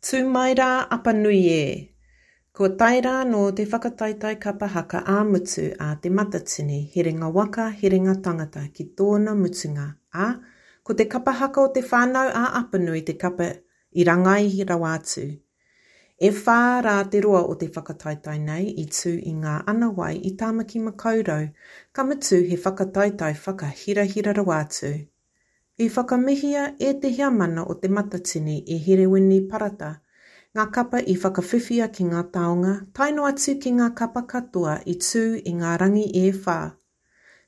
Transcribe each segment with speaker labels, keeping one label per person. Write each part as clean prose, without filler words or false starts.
Speaker 1: Tū mai rā Apanui e! Kua tae rā anō te whakataetae kapa haka ā-mutu a Te Matatini, Herenga Waka, Herenga Tangata ki tōna mutunga, ā, ko te kapa haka o Te Whānau a Apanui te kapa i rangai rawa atu. E whā rā te roa o te whakataetae nei i tū i ngā ana wai i Tāmaki Makaurau, ka mutu he whakataetae whakahirahira rawa atu. I whakamihia e te heamana o Te Matatini e Herewini Parata ngā kapa i whakawhiwhia ki ngā taonga tae noa atu ki ngā kapa katoa i tū i ngā rangi e whā.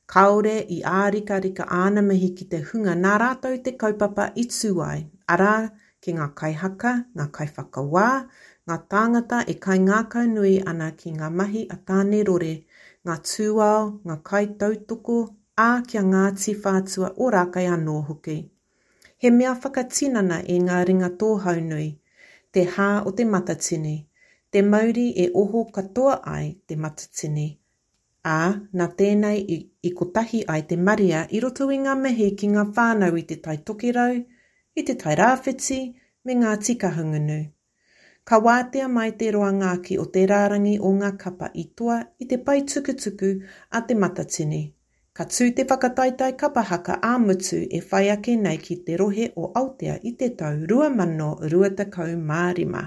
Speaker 1: Kāore i ārikarika āna mihi ki te hunga nā rātou te kaupapa i tū ai, arā, ki ngā kaihaka, ngā kaiwhakawā, ngā tāngata e kaingākaunui ana ki ngā mahi a Tāne Rore, ngā tūao, ngā kaitautoko, ā, ki a Ngāti Whātua Ōrākei anō hoki. He mea whakatinana e ngā ringa tōhaunui, te hā o te matatini, te mauri e oho katoa ai te matatini, ā, nā tēnei i i kotahi ai te marea i roto i ngā mihi ki ngā whānau i Te Tai Tokerau, i Te Tai Rāwhiti me Ngāti Kahungunu. Ka wātea mai te roanga ake o te rārangi o ngā kapa i toa i te pae tukutuku a Te Matatini. Ka tū te whakataetae kapa haka ā-motu e whai ake nei ki te rohe o Aotea i te tau 2025.